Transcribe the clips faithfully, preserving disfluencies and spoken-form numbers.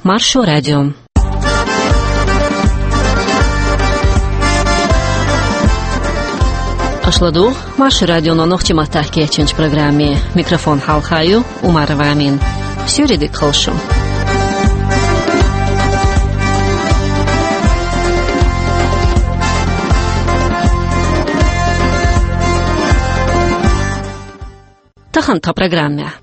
Маршо радио. Аша ладугӀу Маршо радионо нохчийн маттахь кечйинчу программе. Микрофон хьалха ю Умарова Амина. Суьйре дика хуьлда шун. Тахана тхан программехь.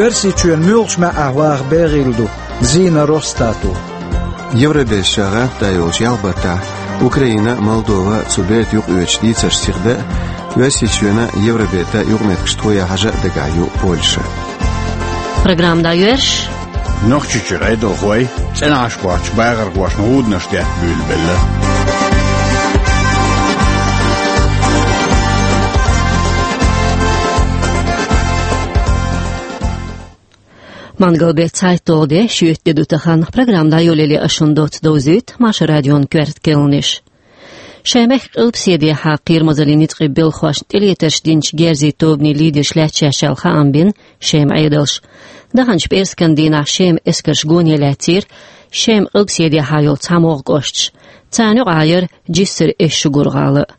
Оьрсийчоьнан муьлхачу маьӀӀехь ваха бегӀийла ду Зина Росстато. Евробераш ша гӀантда йолчу ялх баттахь Украина, Молдова, цу бертан юкъаоьцуш дийцарш сиха дан а, Оьрсийчоьнан а, Евробертан а юкъаметтигаш тхо ян хьажа а дагахь ю Польша. Программа дӀайоьрзуш. Нохчийчуьра Ӏедалхой цӀена Ӏаш боцчу бахархошна гӀуданаш детта буьйлабелла. Мангал беттан цхьайтталгӀа де, шоьтан де ду тахана. Программа дӀайолале ас шуна доцца довзуьйту Маршо радион коьрта кхаьънаш. Шайн мехкан къилбаседехьа кхерамазаллин ницкъийн белхахошна тӀелетарш динчу герзийн тобанийн лидерш лаьтташ яьлла хаам бина Шеман Ӏедалша. Даханчу пӀераскан дийнахь Шеман эскарша гоне лаьцнера Шеман къилбаседехьа йолу цхьамогӀа кӀошташ. Царна юкъахь яра Джиссарин Эшшугур-гӀала а.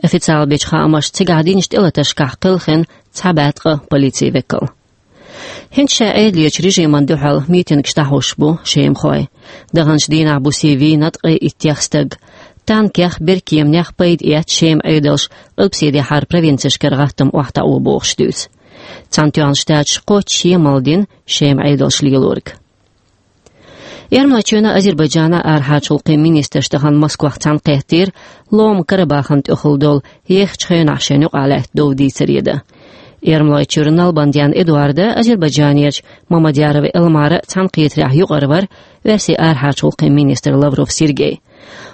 Официалан бечу хаамашца, цигахь динчу тӀелатаршкахь кхелхина цхьа бӀе ткъа полицин векал. ХӀинца ша Ӏедалечу режимна дуьхьал митингаш дӀахьош бу шемахой. Даханчу дийнахь бусе вийна ткъе иттех стаг. Танкех, беркеманех пайда эцна Шеман Ӏедалша къилбаседехьара провинцешкара гӀаттам охьатаӀо бохуш дуьйцу. Цхьаьнатоьхначу Штаташа кхоччуш емал дина Шеман Ӏедалша лелориг. Эрмалойчоьнан, Азербайджанан арахьарчу гӀуллакхийн министраш тахана Москвахь цхьаьнакхеттера Ломан Карабахана тӀехула долу ехачу хенахь шайна юкъахь лаьтта дов дийцаре дан. Эрмалойчуьра Налбандян Эдуарда, Азербайджанерчу Мамадьярова Элмара цхьаьнакхетарехь юкъара вара Оьрсийн арахьарчу гӀуллакхийн министр Лавров Сергей.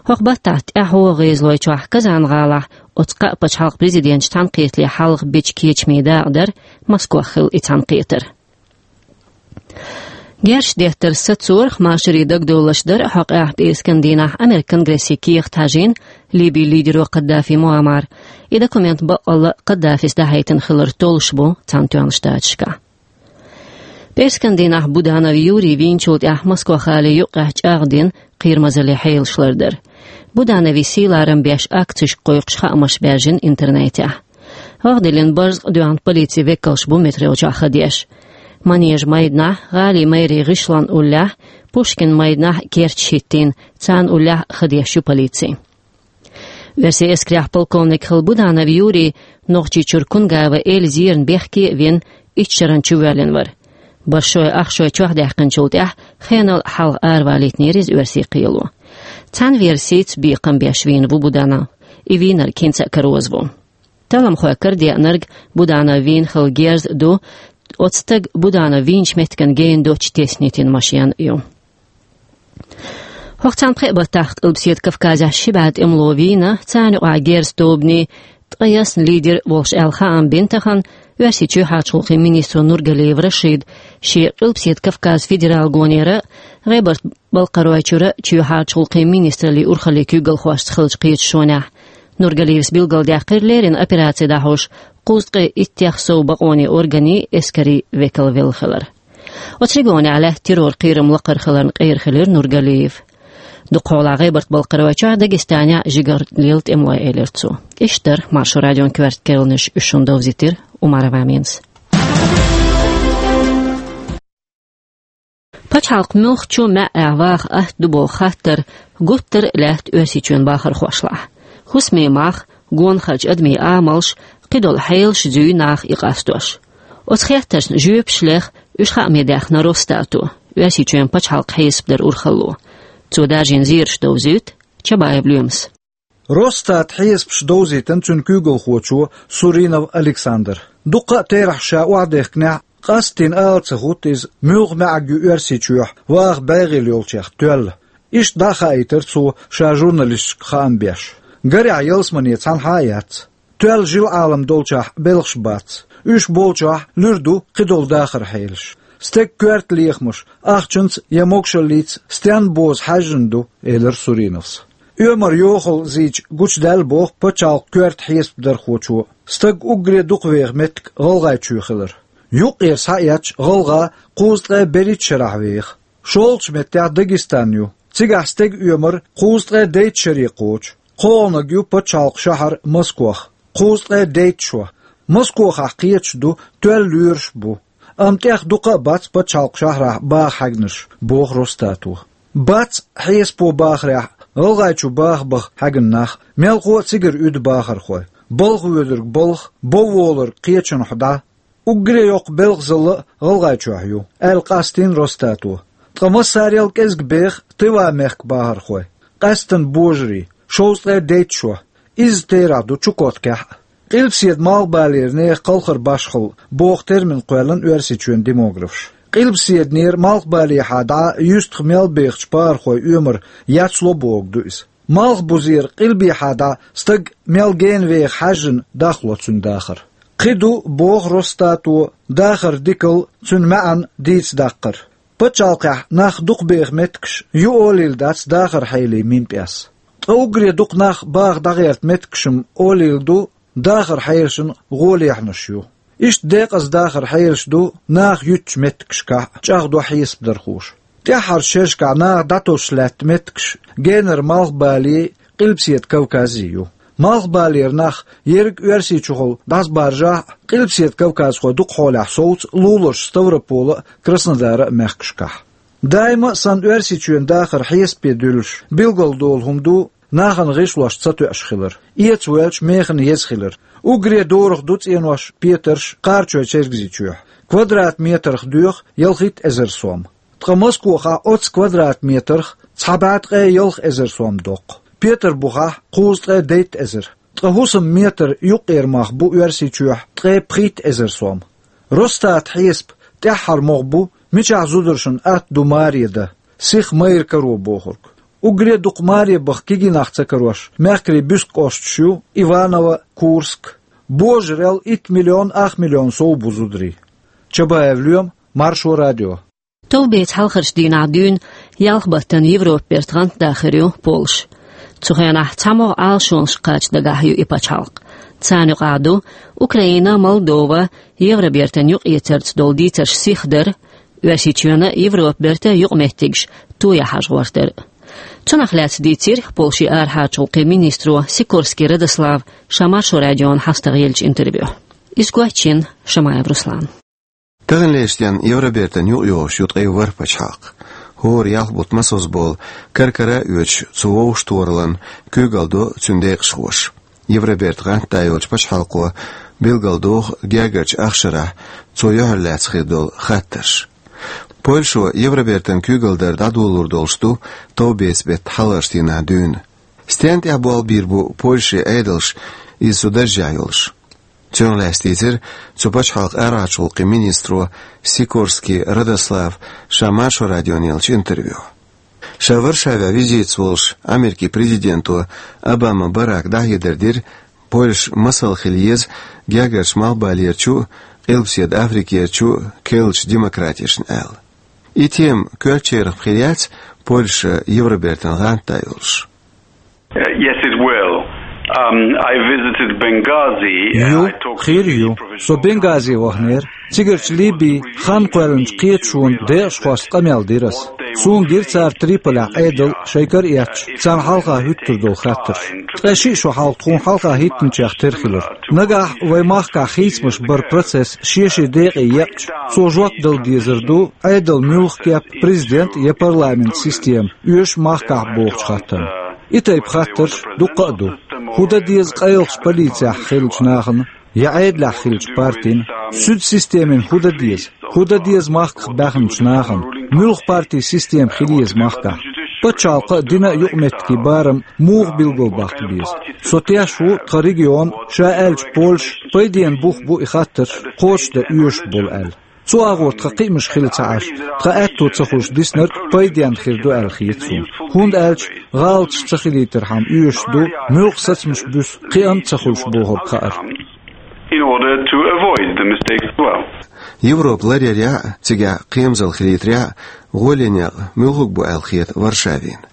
ХӀокху баттахь тӀаьхьо ГӀезалойчохь Казан-гӀалахь оцу кхаа пачхьалкхан президенташа цхьаьнакхетале хьалха бечу кечамийн дакъа дара Москвахь хилла и цхьаьнакхетар. Герзаш деттар сацорах, машарийн дагадовларш дара хьокъехь пӀераскан дийнахь Американ Конгрессе кехат хьажийна Ливин лидеро Каддафи Муаммара. И документ баккъалла Каддафис дӀахьайтина хилар толлуш бу Цхьаьнатоьхначу Штаташкахь. ПӀераскан дийнахь Буданов Юрий вийначул тӀаьхьа Москва-гӀалин юккъехь чӀагӀдина кхерамазаллин хьелаш лардар. Будановн сий-ларам беш акцешка кхойкхуш хаамаш баьржина интернетехь. ГӀагӀ диллина барзакъ доьхна полицин векалш бу метро чохь хан деш. Манежан майданахь, гӀалин мэрин гӀишлон уллехь, Пушкин майданахь керташ хӀиттийна, царна уллехь хан деш ю полици. Оьрсийн эскарехь полковник хилла Буданов Юрий Нохчийчуьра Кунгава Эль зерна бехке а вина, итт шарна чувоьллина вара. Башой, ахшой чохь даьккхинчул тӀаьхьа хенал хьалха аравалийтинера иза оьрсийн кхело. Цхьана версица, бекхам беш вийна ву Буданов. И вийнарг хӀинца а кароза ву. Талламхой карадеанарг Буданов вийна хилла герз а ду, оцу стага Буданов вийначу меттигана гена доцчу теснитина машен а ю. ХӀокху цхьана пхеа баттахь Къилбаседа Кавказехь ши бӀе тӀемало вийна, царна юкъахь герзан тобанийн ткъаясна лидер волуш аьлла хаам бина тахана Оьрсийчоьнан чоьхьарчу гӀуллакхийн министро Нургалиев Рашида. Шен Къилбаседа Кавказ федералан гонера а, ГӀебарта-Балкхаройчуьра чоьхьарчу гӀуллакхийн министраллин урхаллин куьйгалхошца хиллачу кхеташонехь Нургалиевс билгалдаьккхира леррина операци дӀахьош кхузткъе иттех сов бакъонийн органийн эскарийн векал велла хилар. Оцу регионехь лаьтта террор кхерам лакхара хиларна къера хилира Нургалиев. Дукхахьолахь ГӀебарта-Балкхаройчохь, Дагестанехь а жигара лела тӀемалой, элира цо. Иштта дара Маршо радион коьрта кхаьънаш, уьш шуна довзийтира Умарова Аминас. Пачхьалкх муьлххачу маьӀӀехь ваха атта ду боху хаттар гуттар а лаьтта Оьрсийчоьнан бахархошлахь. ХӀусамийн мах, гонахарчу адамийн амалш, кхидолу хьелаш зуьй наха и къастош. Оцу хеттаршна жоьпаш леха уьш хааме даьхна Росстато, Оьрсийчоьнан пачхьалкх хьесап даран урхалло. Цо даржийна зераш довзуьйту Чабаев Лоьмас. Росстатан хьесапаш довзийтина цуьнан куьйгалхочо Суринов Александра. Дуккха а терахьаш ша охьадехкинехь а, къастийна ала ца хӀутту иза, муьлха маьӀӀаг ю Оьрсийчохь ваха бегӀийла йолчех тоьлла. Иштта дӀа а хаийтира цо, ша журналисташка хаам беш. Гарехь, ялсамане цхьанхьа а яц. Тоьлла жил-Ӏалам долчохь белхаш бац. Уьш болчохь луьра ду кхидолу дахаран хьелаш. Стеган коьрта лехамаш ахчанца я могушаллица стенна боза хьаьжжина ду, элира Суриновс. Оьмар йохалла зийча гучудаьлла боху пачхьалкхан коьрта хьесапдархочо стаг уггаре дукха веха меттиг ГӀалгӀайчоь хилар. Юккъера схьаэцча, гӀалгӀа кхузткъе берхӀитта шарахь веха. ШолгӀачу меттехь Дагестан ю. Цигахь стеган оьмар кхузткъе дейтта шаре кхочу. КхоалгӀаниг ю пачхьалкхан шахьар Москох, кхузткъе дейтта шо. Москохахь кхеташ ду, тоьлла лоьраш а бу. Амма тӀех дукха а бац пачхьалкхан шахьарахь баха хьаьгнарш, боху Росстато. Бац, хьесапо бахарехь, ГӀалгӀайчу баха баха хьаьгна нах, мелхо а цигара уьду бахархой. Балха воьдург балха, бов волург кхечанхьа дӀа. Уггаре йоккха белхазалла а ГӀалгӀайчохь ю, аьлла къастийна Росстато. Ткъа массарел кӀезиг беха Тыва-мехкан бахархой, къаьсттина божарий, шовзткъе дейтта шо. Изза терахь ду Чукоткехь а. Къилбаседа малхбалера нехан кхалхар башхалла боху термин кхоьллина Оьрсийчоьнан демографша. Къилбаседанера малхбалехьа дӀа юьстах мел бехачу пахархойн оьмар яцло бохург ду иза. Малхбузера къилбехьа дӀа стаг мел гена веха хьаьжжина дахло цуьнан дахар. Кхин ду, боху Росстато, дахаран дикалла, цуьнан маьӀна дийца даккхар. Пачхьалкхехь нах дукха беха меттигаш ю олийла дац дахаран хьелий минпӀес. Ткъа уггаре дукха нах баха дӀагӀерта меттигаш-м олийла ду, дахаран хьелашна гӀолехьанаш ю. Иштта декъаза дахаран хьелаш ду наха юьтучу меттигашкахь а, чӀагӀдо хьесапдархоша. ТӀаьххьарчу шерашкахь наха дӀатосуш лаьтта меттигаш генара малхбале, Къилбаседа Кавказе ю. Малхбалера нах ерриг Оьрсийчухула дӀасабаржахь а, Къилбаседа Кавказхой дукха хьолехь совцу луларчу Ставрополан а, Краснодаран а мехкашкахь. Даима а санна Оьрсийчоьнан дахар хьесапе дуьллуш, билгалдолу хӀума ду нахана гӀишлош ца тоьуш хилар, эца воьлча механа еза хилар. Уггаре дорах ду цӀенош, петарш Кхарачой-Чергазийчохь. Квадратметрах доьху ялхитта эзар сом. Ткъа Москохахь оццу квадратметрах цхьа бӀе ткъе ялх эзар сом доккху. Петарбухахь кхузткъе дейтта эзар. Ткъа хӀусам метр юккъера мах бу Оьрсийчохь ткъе пхийтта эзар сом. Росстатан хьесап тӀаьххьара могӀа бу, мичахь зударшна атта ду маре дан, сиха майра каро бохург. Уггаре дукха маре баха кегий нах ца карош мехкарийн буьрса кӀошташ ю Иваново, Курск. Божарел итт миллион, ах миллион сов бу зударий. Чабаев Лоьма, Маршо радио. Товбецан хьалхарчу дийнахь дуьйна ялх баттана Европа бертан гӀантда хир ю Польша. Цу хенахь цхьа могӀа Ӏалашонашка кхача дагахь ю и пачхьалкх. Царна юкъахь ду Украина, Молдова, Евробертан юкъаэцарца долу дийцарш сиха дар, Оьрсийчоьнан а, Европа бертан а юкъаметтигаш тоян хьажа гӀортар. Цунах лаьцна дийцира Польшин арахьарчу гӀуллакхийн министро Сикорский Радослава ша Маршо радиона хьастагӀа еллачу интервьюхь. Иза гочйина Шамаев Руслана. Таханлерчу дийнахь Евробертан юкъайогӀуш ю ткъе ворхӀ пачхьалкх. ХӀора ялх бутт масазболу кара-кара а оьцуш, цу вовшахтохараллин куьйгалла до цуьнан декъашхоша. Евробертан гӀантда йолчу пачхьалкхо билгалдоху гергарчу ахчанах цо юьхьарлаьцна хир долу хаттарш. Польшо Евробертан куьйгалла дар дӀадолор долуш ду товбецан беттан хьалхарчу дийнахь дуьйна. Стенна тӀехь болх бийр бу Польшин Ӏедалш, иза цу даржехь йолуш? Цунах лаьцна дийцира цу пачхьалкхан арахьарчу гӀуллакхийн министро Сикорский Радослава ша Маршо радиона еллачу интервьюхь. Ша Варшавехь визитаца волуш Америкин президенто Обама Барака дӀахьедар дира, Польша масал хила еза гергарчу Малхбалерчу а, Къилбаседа Африкерчу а керлачу демократешна аьлла. И тема коьртачарах хир яц, Польша Евробертан гӀантда йолуш? Uh, yes, it will. Um, I visited Benghazi. Ю, хир ю. Со Бенгазе ваханера. Цигарчу Либин хан кхоьллинчу кхеташонан декъашхошца къамел дира ас. Суна гира цара Триполехь Ӏедал шайн кара эцча, царна хьалха хӀуьттур долу хаттарш. Ткъе шиъ шо хьалха тхуна хьалха хӀиттинчех тера хилира. Нагахь вайн махкахь хийцамаш баран процесс шен-шен декъе екъча, цо жоп дала дезар ду, Ӏедал муьлха кеп, президент я парламент система оьшу махкахь бохучу хаттарна. И тайпа хаттарш дуккха а ду. ХӀун дан деза къайлахчу полицехь хиллачу нахана, я Ӏедалехь хиллачу партина? Суьдин системина хӀун дан деза? ХӀун дан деза махках баьхначу нахана? Муьлха партин система хила еза махкахь? Пачхьалкхан а, динан а юкъаметтигийн барам муха билгалбаккха беза? Со тешаш ву, тхан регион, ша аьлча Польша, пайденан бух бу и хаттарш кхочушдан оьшуш болу аьлла. Цу агӀор тхан кхиамаш хила ца Ӏаш, тхан аьтто ца хуьлуш диснарг пайденна хир ду аьлла хета суна. ХӀунда аьлча гӀалаташ ца хилийтархьама оьшуш ду, муьлха сацамаш буьсу кхиам а ца хуьлуш бохург хаар. In order to avoid the mistakes as well. Европа ларъярехь а, цигахь кхерамзалла хилийтарехь а, гӀоле некъ муьлхарг бу аьлла хета Варшавина?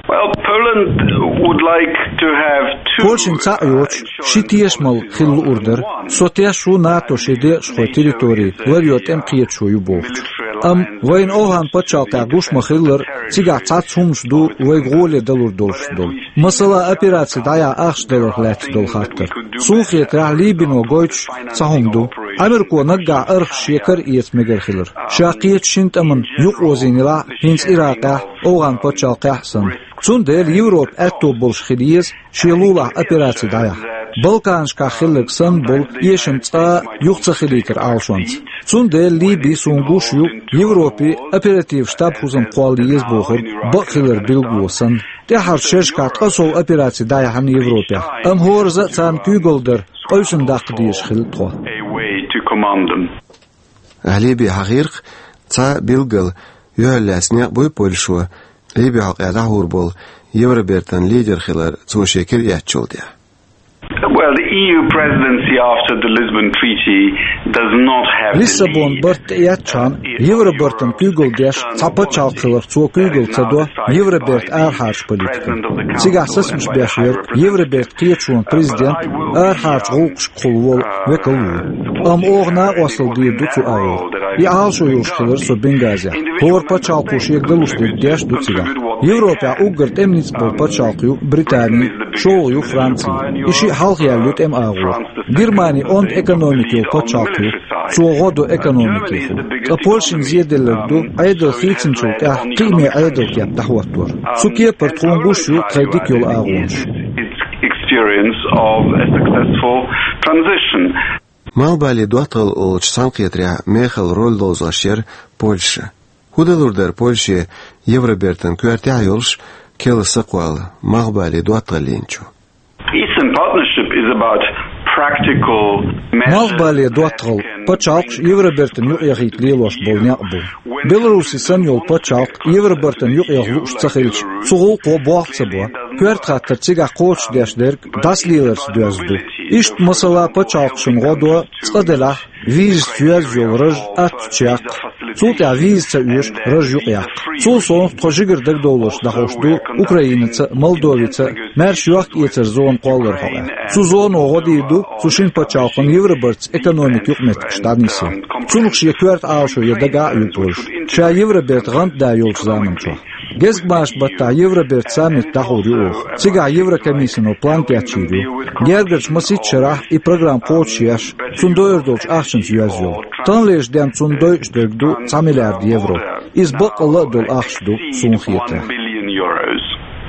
Well, Poland would like to have two, Польшина цхьаъ йоцуш, ши тешамал хила луур дара. Со тешаш ву, НАТО шен декъашхойн территори ларъян тӀемкхеташо ю бохучух. Амма вайна ОвхӀан паччахьалкхехь гуш ма-хиллара, цигахь цхьацца хӀуманаш ду вайга гӀоле далур долуш долу. Масала, операци дӀаяхьа ахча даларх лаьцна долу хаттар. Суна хетарехь, Либино гойтуш цхьа хӀума ду. Америко наггахь архаш шен кара эца мегар хилар, ша кхечу шина тӀамна юкъаозийна елахь а, хӀинца Иракъехь а, ОвхӀан паччахьалкхехь а санна. Цундела Европа аьтто болуш хила еза шен лулахь операци дӀаяхьа. Балканашкахь хилларг санна болу эшам цкъа а юха ца хилийтар Ӏалашонца. Цундела Либи, суна гуш ю, Европе оператив штаб-хӀусам кхолла еза бохург бакъ хилар билгало санна. ТӀаьххьарчу шерашкахь ткъа сов операци дӀаяьхьна Европехь, амма хӀоразза а царна куьйгалла дара къевсина даккха дезаш хилла тхо. Ахь Либи хьахийра-кх, цхьа билггал юьхьарлаьцна некъ буй Польшо, Либи хьокъехь дӀахьур болу Евробертан лидер хилар цо шен кира эцначул тӀаьхьа? Well, the E U presidency after the Lisbon Treaty does not have the Лиссабон lead. Барт тӀеэцчхьана Евробертан куьйгалла деш цхьа пачхьалкх хиларх цо куьйгалла ца до Евроберта арахьарчу политикана. Цигахь сацамаш беш верг Евроберта кхеташонан президент арахьарчу гӀуллакхашкахула волу векал ву. Амма оха накъосталла дийр ду цу агӀор. И Ӏалашо йолуш хилира со Бенгазехь. ХӀора пачхьалкхо шега далуш дерг деш ду цигахь. Европехь уггар тӀеман ницкъ болу пачхьалкх ю Британи, шолгӀа ю Франци. И шиъ хьалха яьлла ю тӀеман агӀор. Германи онда экономика йолу пачхьалкх ю, цо гӀо до экономикехула. Ткъа Польшина зеделларг ду Ӏедал хийцинчул тӀаьхьа кхиаме Ӏедалан кеп дӀахӀоттор. Цу кепара тхуна гуш ю тхайн дика йолу агӀонаш. Experience of a successful transition. Малхбале доттагӀалла олучу цхьаьнакхетарехь мехала роль ловзош яра Польша. ХӀун далур дара Польше Евробертан коьртехь а йолуш, керла сакхоьлла малхбале доттагӀаллин чу? Eastern Partnership is about practical measures. Малхбале доттагӀалла пачхьалкхаш Евробертан юкъаяхийта лелош болу некъ бу. Беларуси санна йолу пачхьалкх Евробертан юкъаяха лууш ца хилча, цу гӀуллакхо болх ца бо. Коьрта хаттар цигахь кхочушдеш дерг дӀасалеларца доьзна ду. Иштта, масала, пачхьалкхашна гӀо до, цкъа делахь, визаца йоьзна йолу раж аттачу яккха. Цул тӀаьхьа виза ца оьшу раж юкъаяккха. Цул совнаха, тхо жигара дагадовларш дӀахьош ду Украинаца а, Молдовица а, маьрша йохк-эцаран зона кхолларан хьокъехь. Цу зоно гӀо дийр ду цу шина пачхьалкхана Евробертаца экономикан юкъаметтигаш дӀанисъян. Цунах шен коьрта Ӏалашо ян дагахь а ю Польша, ша Евроберта гӀантда йолчу заманчохь. Гезгмашин баттахь Евроберта саммит дӀахьур ю оха. Цигахь Еврокомиссино план кечйийр ю. Гергарчу масийтта шарахь и программа кхочушъеш, цунна дойур долчу ахчанца йоьзна йолу. Таханлерчу денна цунна дойуш дерг ду цхьа миллиард евро. Иза баккъалла а долу ахча ду, суна хетарехь.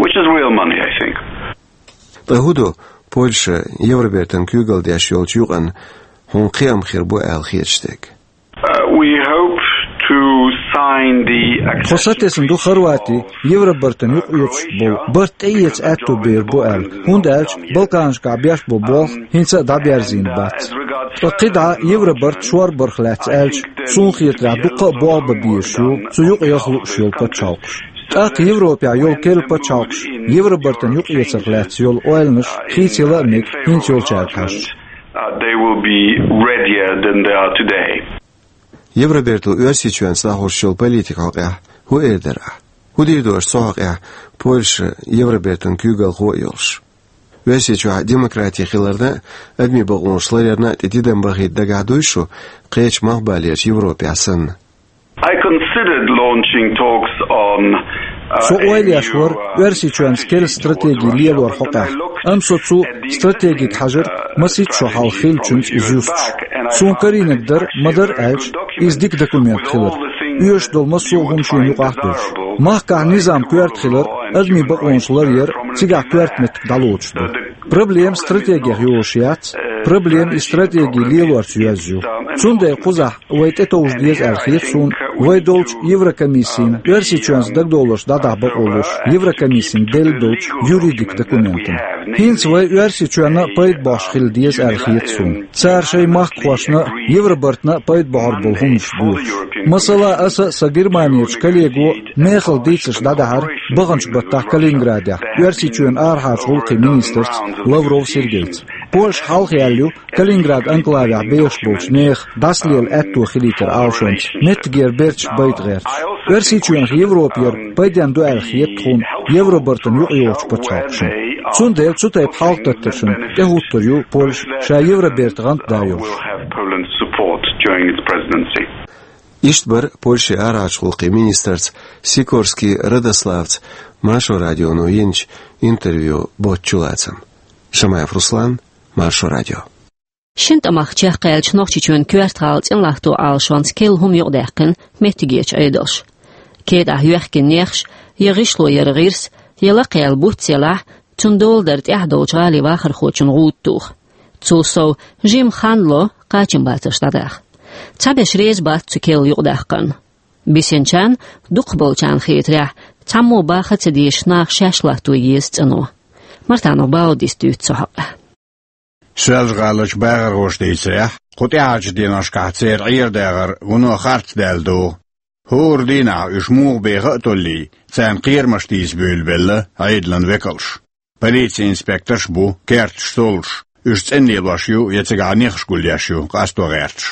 Which is real money, I think. Ткъа хӀун ду Польша Евробертан куьйгалла деш йолчу юкъана хьуна кхиам хир бу аьлла хеташ дерг? Uh, we hope to sign the Тхо сатесна ду Хорвати Евробертан юкъаоьцуш болу барт тӀеэца аьтто бер бу аьлла, хӀунда аьлча Балканашкахь беш болу болх хӀинца а дӀаберзийна бац. Ткъа кхидӀа Евробарт шорбарх лаьцна аьлча, суна хетарехь, дуккха а болх бан безаш ю цу юкъаяха лууш йолу пачхьалкхаш. ТӀаккха Европехь йолу керла пачхьалкхаш Евробартан юкъаэцарх лаьцна йолу ойланаш хийцаяла а мега хӀинца йолчаьрга хьаьжча. Uh, they will be readier than they are today. Евроберто Оьрсийчоьнца дӀахьош йолу политика хьокъехь хӀун эр дара ахь? ХӀун дийр ду аша цу хьокъехь, Польша Евробертан куьйгалхо а йолуш? Оьрсийчохь демократи хиларна а, адамийн бакъонаш ларъярна а тӀе тидам бахийта дагахь дуй шу, кхечу малхбалерчу Европехь санна? I considered launching talks on, uh, Со ойла еш вара Оьрсийчоьнца керла стратеги лелор хьокъехь, амма со цу стратегига хьажар масийтта шо хьалха хиллачуьнца иза юстуш. Суна карийнарг дара, ма-дарра аьлча, иза дика документ хилар. Оьшуш долу массо а хӀума шена юкъахь а дуьллуш. Махкахь низам коьрта хилар, адамийн бакъонаш ларъяр цигахь коьрта меттиг дӀалоцуш ду. Проблема стратегех йолуш яц, проблема и стратеги лелорца йоьзна ю. Цундела кхузахь вай тӀетовжа деза аьлла хета суна вай долчу Еврокомиссина, Оьрсийчоьнца дагадовларш дӀадахьа бакъо луш, Еврокомиссина делла долчу юридик документана. ХӀинца вай Оьрсийчоьнна пайда бохьуш хила деза аьлла хета суна. Цара шайн махкахошна а, Евробартна а пайда бохьур болу хӀуманаш доьхуш. Масала, аса а, сан Германерчу коллего а мехала дийцарш дӀадахьара баханчу баттахь Калининградехь Оьрсийчоьнан арахьарчу гӀуллакхийн министрца Лавров Сергейца. Польша хьалха яьлла ю Калининград анклавехь бехаш болчу нехан дӀасалела аьтто хилийтаран Ӏалашонца меттигера берташ байта гӀерташ. Оьрсийчоьнах Европа яр пайденна ду аьлла хета тхуна Евробартан юкъайогӀучу пачхьалкхашна. Цундела цу тайпа хьалхадаттаршна тӀехӀуттур ю Польша ша Евроберта гӀантда йолуш. Will have Poland's support during its presidency. Иштта бара Польшин арахьарчу гӀуллакхийн министрца Сикорский Радославца Маршо радионо йинчу интервьюн боцчу лацам. Шамаев Руслан, Маршо радио. Шина тӀамах чекхъяьллачу Нохчийчоьнан коьрта гӀала цӀенлахто Ӏалашонца керла хӀума юкъадаьккхина меттигерчу Ӏедалша. КетӀахь йоьхкина нехаш, я гӀишло яра гӀирс, я лакхаяьлла буц елахь, цунна дола дара тӀаьхьа долчу гӀалин вахархочун гӀуда тоха. Цул сов, жимма хан ло кхачамбацарш дӀадаха. Цхьаберш реза бац цу керла юкъадаккхарна. Бисинчарна, дукхахболчарна хетарехь, цхьаммо баха а ца дезаш наха шаьш латто еза цӀано. Мартанов Баудис дуьйцу цу хьокъехь. Соьлжа-ГӀаларчу бахархоша дийцарехь, кху тӀаьхьарчу деношкахь церан Ӏер-дагӀар вуно харц даьлла догӀу. ХӀора дийнахь уьш муха беха а толлий, царна кхерамаш тийса буьйлабелла Ӏедалан векалш. Полицин инспекторш а бу, керташ толлуш, уьш цӀена лелош ю я цигахь нехаш гулъеш ю къасто гӀерташ.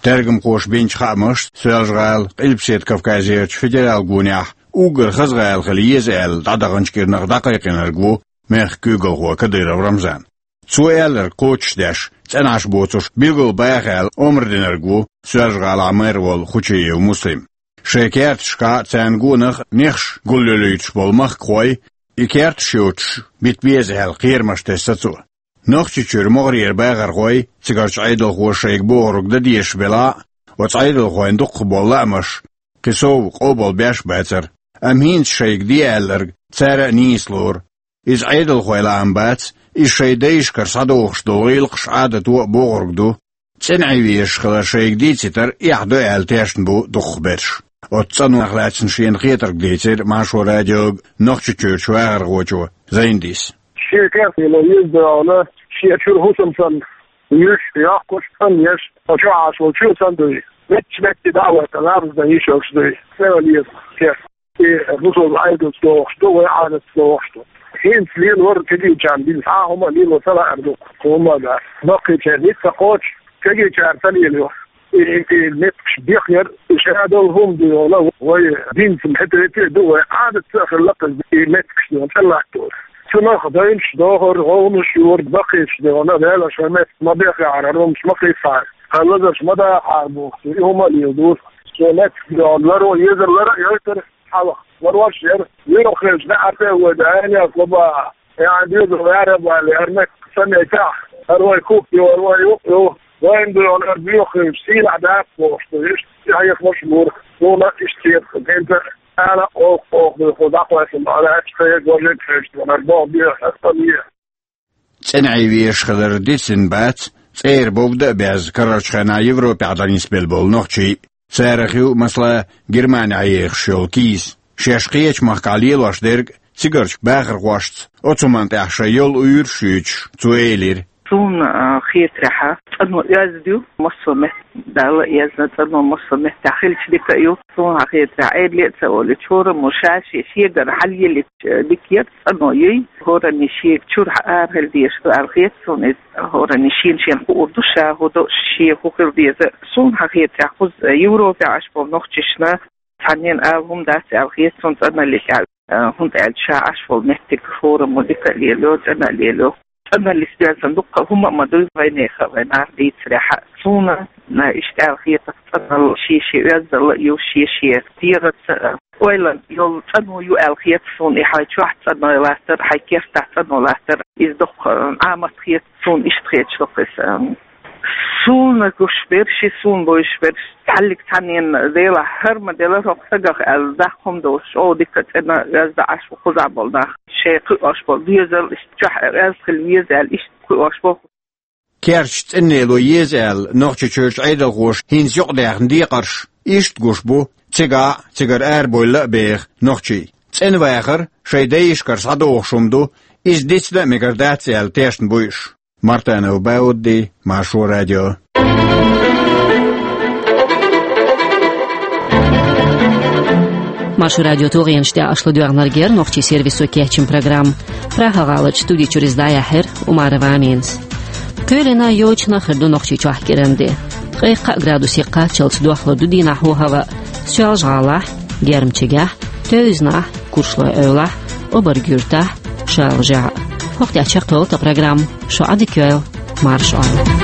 Тергамхоша бинчу хаамашца, Соьлжа-ГӀала Къилбаседа Кавказерчу федералан гонехь уггар хаза гӀала хила еза аьлла дӀадаханчу кӀирнах дӀакхайкхинарг ву мехкан куьйгалхо Кадыров Рамзан. Цо аьлларг кхочушдеш, цӀена Ӏаш боцурш билггал баха аьлла омра динарг ву Соьлжа-ГӀалахь мэр волу Хучиев Муслим. Шайн керташкахь а, царна гонах а нехаш гулъюьлуьйтуш болу махкахой, и керташ йоцуш бита беза аьлла кхерамаш тесна цо. Нохчийчуьра могӀарера бахархой, цигарчу Ӏедалхоша шайга бохург дан дезаш белахь а, оцу Ӏедалхойн дукхахболу лаамаш кхин сов къобал беш а бацара. Амма хӀинца шайга де аьлларг цара а нийса лору. Иза Ӏедалхойн лаам бац, иза шайн дайшкара схьадогӀуш долу гӀиллакхаш, Ӏадато а бохург ду. ЦӀена Ӏен везаш хилар шайга дийцитар эхь ду аьлла тешна бу дукхахберш. Оцу цӀанонах лаьцна шена хетарг дийцира Маршо радиога Нохчийчуьрчу вахархочо Зайндис. Шен кертахь ло еза догӀана, шен чуьра хӀусам санна, юьш, йоккхуш, цӀанъеш, оцу чохь Ӏаш волчу санна дуй. Меттахь метте дӀа а ваьлла, ларздан йиш йолуш дуй. Цеван еза керт. И русул Ӏедалца догӀуш ду, вай Ӏадатца догӀуш ду. ХӀинца лелор кегийчарна дина цхьа а хӀума а лело ца лаьара ду, хӀума а дац. Баккхийчеран ницкъ ца кхочу, кегийчара ца лелайо. И, и меттигаш бехъяр, и шадолу хӀума ду йолу, вай динца хӀетте а ду, вай Ӏадатца а хилла кхуза и меттигаш ду, тӀелаттор. Цунах дайнаш дохур, гӀовгӀанаш йора, баккхийчу дегӀана, Дала шайн меттиг ма бехъяхьара, хӀумаш ма кхийсахьара, хьан лазарш ма дахахьара бохуш, и хӀума а лела дора. Цо меттиг дегӀана ларо, езар лара а йойтура, хьалха ларош яра. Юха хилча, неӀарта а вай дайна яц лаба, яхьан доьзал вара а бали, хӀара меттиг ца меттехь, хӀара вай куп ю, хӀара вай юкъ ю. Вайн доьгӀна ара боьха хилча, сийлахь дац бохуш ду, иштта тӀехьехамаш а бора, суна иштта хета, хӀинца ала а оха, оха дуьйху, дӀакхоьссина бахьанаьлча, тхайга важа а кхечу, ара боху беха, ара ца леха. ЦӀена Ӏен везаш хилар дицдина бац цӀера бовда а безна, карарчу хенахь Европехь дӀанисбелла болу нохчий. Царах ю, масала, Германехь ехаш йолу Кийс. Шаьш кхечу махкахь лелош дерг цигарчу бахархошца оцу хӀуманна тӀехь шайн йолу уьйраш а юьйцуш, цо элира: Суна, а, хетарехь, цӀано оьзда ю, массо а метта Далла а эзна, цӀано массо а меттехь хилча дика а ю. Суна хетарехь, Ӏедале а ца олуьйтуш, хӀораммо ша-шен шегара хьалъеллича дика яра, цӀано юй. ХӀоранне шега чуьра арахила дезаш ду аьлла хета суна иза. ХӀоранне шена-шена хуур ду ша хӀун до, шен хӀун хила деза. Суна хетарехь, кхуза Европехь Ӏаш болу нохчашна цхьаннен ала хӀума дац аьлла хета суна цӀаналлица аьлла. А, хӀунда аьлча ша Ӏаш волу меттиг хӀораммо дика а лелайо, цӀена а лелайо. ЦӀаналлица доьзна дуккха а хӀума а ма дуй вайнехан, вайн нах дийцарехь а. Суна, а, иштта аьлла хета, цӀаналла шен-шен оьздангалла а ю, шен-шен дегӀаца, а, ойланна йолу цӀано ю аьлла хета суна, и хьайн чохь цӀано латтар, хьайн кертахь цӀано латтар, иза доккха, а, Ӏамат хета суна, иштта хеташ доккха иза, а. Суна гуш берш, и суна бовзуш берш, цхьаллиг цхьаннен делахь, хӀара ма делара хӀокху стагах аьлла, даккха хӀума долуш, о, дика цӀена оьзда Ӏаш ву кхузахь болу нах. Шайн кхуьуш болу доьзал иштта чохь оьзда хила веза аьлла, иштта кхуьуш боху. Керташ цӀена лело еза аьлла, Нохчийчуьрчу Ӏедалхоша хӀинца юкъадаьхна декхарш иштта гуш бу, цигахь а, цигара арабевлла а беха нохчий. ЦӀена вахар шайн дайшкара схьадогӀуш хӀума ду, иза дицдан а мегар дац аьлла тешна бу уьш. Мартанов Баудди, Маршо радио. Маршо радион тулгӀенаш тӀехь аша ладоьгӀнарг яра нохчийн сервисо кечйина программа. Прага-гӀаларчу студи чуьра иза дӀаяьхьира Умарова Аминас. Кхоьлина йочана хир ду Нохчийчохь кӀиран де. Ткъе кхаа градусе кхаччалц дохлур ду дийнахь хӀаваъ Соьлжа-ГӀалахь, Гермчигехь, Тевзанахь, Куршлой-Эвлахь, Обарг-Юьртахь, Шалажехь. ХӀокху тӀехь чекхйолу тхан программа. Шу Ӏадика йойла, марша Ӏойла.